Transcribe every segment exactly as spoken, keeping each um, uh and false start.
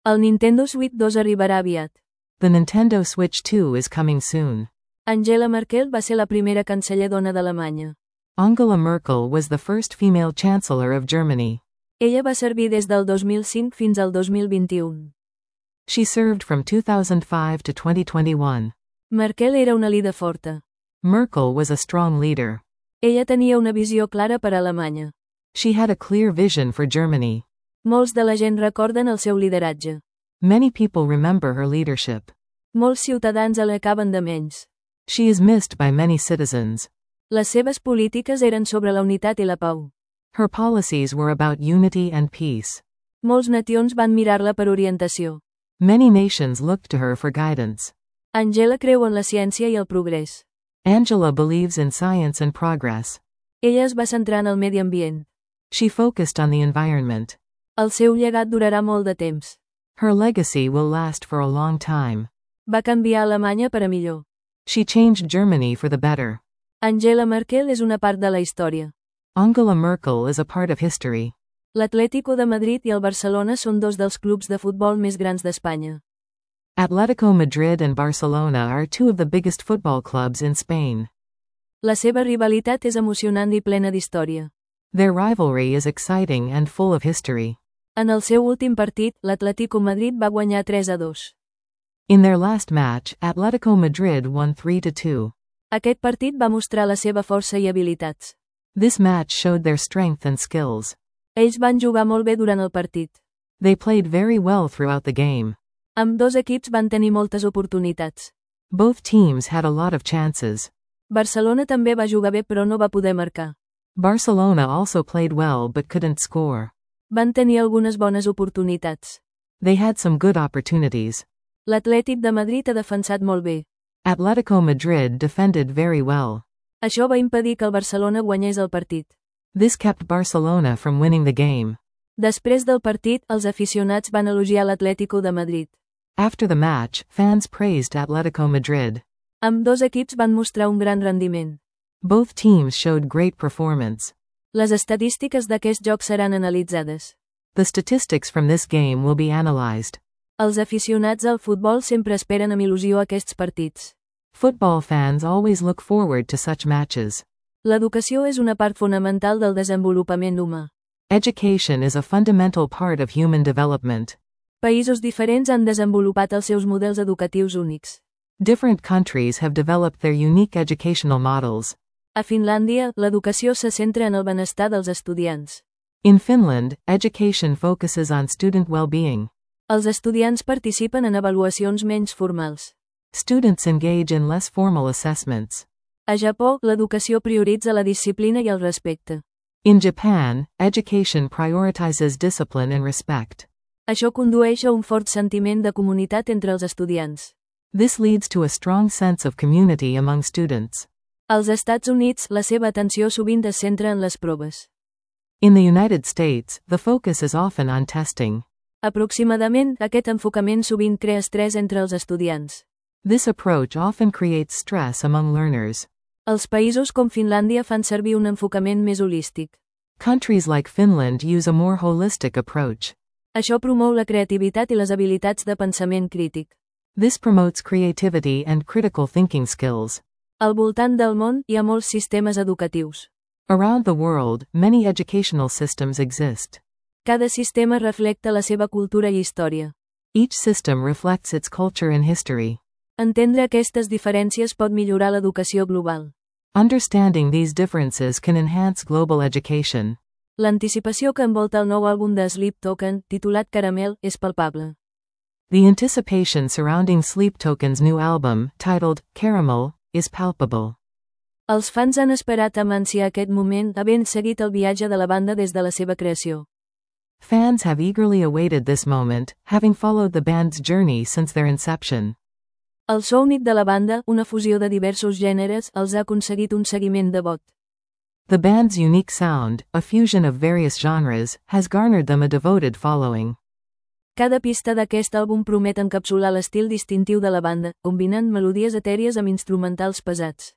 El Nintendo Switch dos arribarà aviat. The Nintendo Switch two is coming soon. Angela Merkel va ser la primera canceller dona d'Alemanya. Angela Merkel was the first female chancellor of Germany. Ella va servir des del dos mil cinc fins al dos mil vint-i-un. She served from two thousand five to twenty twenty-one. Merkel era una líder forta. Merkel was a strong leader. Ella tenia una visió clara per a Alemanya. She had a clear vision for Germany. Molts de la gent recorden el seu lideratge. Many people remember her leadership. Molts ciutadans l'acaben de menys. She is missed by many citizens. Les seves polítiques eren sobre la unitat i la pau. Her policies were about unity and peace. Molts nacions van mirar-la per orientació. Many nations looked to her for guidance. Angela creu en la ciència i el progrés. Angela believes in science and progress. Ella es va centrar en el medi ambient. She focused on the environment. El seu llegat durarà molt de temps. Her legacy will last for a long time. Va canviar Alemanya per a millor. She changed Germany for the better. Angela Merkel és una part de la història. Angela Merkel is a part of history. L'Atlético de Madrid i el Barcelona són dos dels clubs de futbol més grans d'Espanya. Atletico Madrid and Barcelona are two of the biggest football clubs in Spain. La seva rivalitat és emocionant i plena d'història. Their rivalry is exciting and full of history. En el seu últim partit, l'Atlético Madrid va guanyar tres a dos. In their last match, Atletico Madrid won three to two. Aquest partit va mostrar la seva força i habilitats. This match showed their strength and skills. Ells van jugar molt bé durant el partit. They played very well throughout the game. Ambdós equips van tenir moltes oportunitats. Both teams had a lot of chances. Barcelona també va jugar bé però no va poder marcar. Barcelona also played well but couldn't score. Van tenir algunes bones oportunitats. They had some good opportunities. L'Atlètic de Madrid ha defensat molt bé. Atletico Madrid defended very well. Això va impedir que el Barcelona guanyés el partit. This kept Barcelona from winning the game. Després del partit, els aficionats van elogiar l'Atlético de Madrid. After the match, fans praised Atletico Madrid. Ambdós equips van mostrar un gran rendiment. Both teams showed great performance. Les estadístiques d'aquest joc seran analitzades. The statistics from this game will be analyzed. Els aficionats al futbol sempre esperen amb il·lusió aquests partits. Football fans always look forward to such matches. L'educació és una part fonamental del desenvolupament humà. Education is a fundamental part of human development. Països diferents han desenvolupat els seus models educatius únics. Different countries have developed their unique educational models. A Finlàndia, l'educació se centra en el benestar dels estudiants. In Finland, education focuses on student well-being. Els estudiants participen en avaluacions menys formals. Students engage in less formal assessments. A Japó, l'educació prioritza la disciplina i el respecte. In Japan, education prioritizes discipline and respect. Això condueix a un fort sentiment de comunitat entre els estudiants. This leads to a strong sense of community among students. Als Estats Units, la seva atenció sovint es centra en les proves. In the United States, the focus is often on testing. Aproximadament, aquest enfocament sovint crea estrès entre els estudiants. This approach often creates stress among learners. Els països com Finlàndia fan servir un enfocament més holístic. Countries like Finland use a more holistic approach. Això promou la creativitat i les habilitats de pensament crític. This promotes creativity and critical thinking skills. Al voltant del món, hi ha molts sistemes educatius. Around the world, many educational systems exist. Cada sistema reflecta la seva cultura i història. Each system reflects its culture and history. Entendre aquestes diferències pot millorar l'educació global. Understanding these differences can enhance global education. L'anticipació que envolta el nou àlbum de Sleep Token, titulat Caramel, és palpable. The anticipation surrounding Sleep Token's new album, titled Caramel, is palpable. Els fans han esperat amb ànsia aquest moment, havent seguit el viatge de la banda des de la seva creació. Fans have eagerly awaited this moment, having followed the band's journey since their inception. El so únic de la banda, una fusió de diversos gèneres, els ha aconseguit un seguiment devot. The band's unique sound, a fusion of various genres, has garnered them a devoted following. Cada pista d'aquest àlbum promet encapsular l'estil distintiu de la banda, combinant melodies etèries amb instrumentals pesats.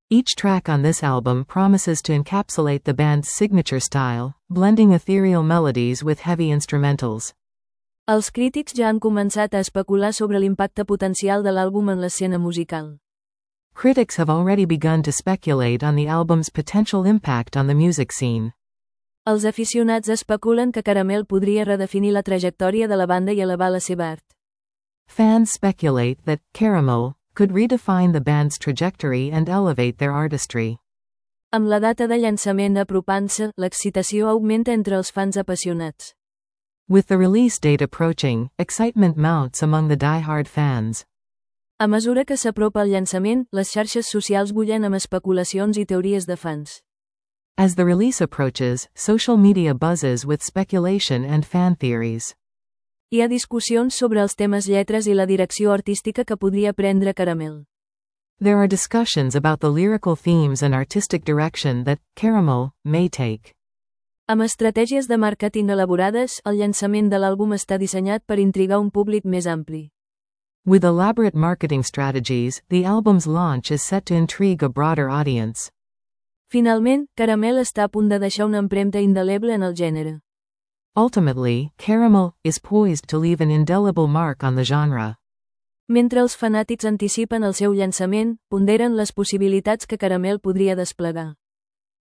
Each track on this album promises to encapsulate the band's signature style, blending ethereal melodies with heavy instrumentals. Els crítics ja han començat a especular sobre l'impacte potencial de l'àlbum en l'escena musical. Critics have already begun to speculate on the album's potential impact on the music scene. Els aficionats especulen que Caramel podria redefinir la trajectòria de la banda i elevar la seva art. Fans speculate that Caramel could redefine the band's trajectory and elevate their artistry. Amb la data de llançament apropant-se, l'excitació augmenta entre els fans apassionats. With the release date approaching, excitement mounts among the die-hard fans. A mesura que s'apropa el llançament, les xarxes socials bullen amb especulacions i teories de fans. As the release approaches, social media buzzes with speculation and fan theories. Hi ha discussions sobre els temes, lletres i la direcció artística que podria prendre Caramel. There are discussions about the lyrical themes and artistic direction that Caramel may take. Amb estratègies de màrqueting elaborades, el llançament de l'àlbum està dissenyat per intrigar un públic més ampli. With elaborate marketing strategies, the album's launch is set to intrigue a broader audience. Finalment, Caramel està a punt de deixar una empremta indeleble en el gènere. Ultimately, Caramel is poised to leave an indelible mark on the genre. Mentre els fanàtics anticipen el seu llançament, ponderen les possibilitats que Caramel podria desplegar.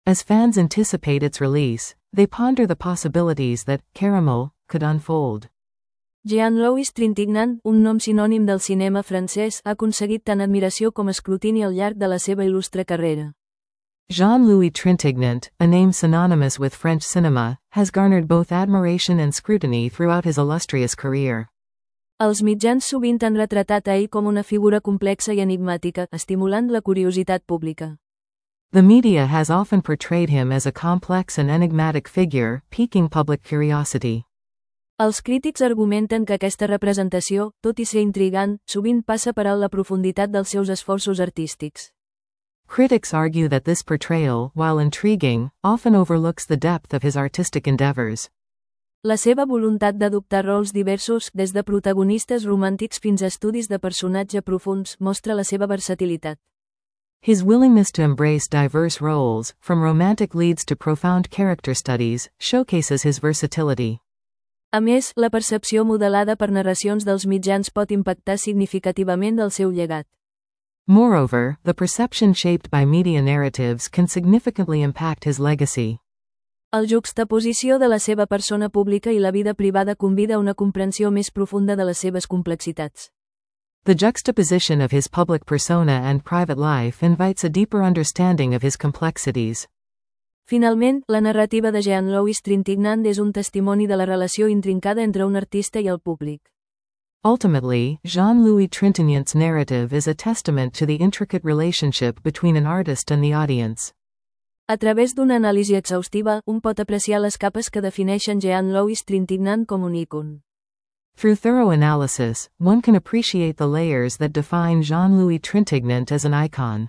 As fans anticipate its release, they ponder the possibilities that Caramel could unfold. Jean-Louis Trintignant, un nom sinònim del cinema francès, ha aconseguit tant admiració com escrutini al llarg de la seva il·lustre carrera. Jean-Louis Trintignant, a name synonymous with French cinema, has garnered both admiration and scrutiny throughout his illustrious career. Els mitjans sovint han retratat a ell com una figura complexa i enigmàtica, estimulant la curiositat pública. The media has often portrayed him as a complex and enigmatic figure, piquing public curiosity. Els crítics argumenten que aquesta representació, tot i ser intrigant, sovint passa per alt la profunditat dels seus esforços artístics. Critics argue that this portrayal, while intriguing, often overlooks the depth of his artistic endeavors. La seva voluntat d'adoptar rols diversos, des de protagonistes romàntics fins a estudis de personatge profunds, mostra la seva versatilitat. His willingness to embrace diverse roles, from romantic leads to profound character studies, showcases his versatility. A més, la percepció modelada per narracions dels mitjans pot impactar significativament del seu llegat. Moreover, the perception shaped by media narratives can significantly impact his legacy. El juxtaposició de la seva persona pública i la vida privada convida a una comprensió més profunda de les seves complexitats. The juxtaposition of his public persona and private life invites a deeper understanding of his complexities. Finalment, la narrativa de Jean-Louis Trintignant és un testimoni de la relació intrincada entre un artista i el públic. Ultimately, Jean-Louis Trintignant's narrative is a testament to the intricate relationship between an artist and the audience. A través d'una anàlisi exhaustiva, un pot apreciar les capes que defineixen Jean-Louis Trintignant com un ícon. Through thorough analysis, one can appreciate the layers that define Jean-Louis Trintignant as an icon.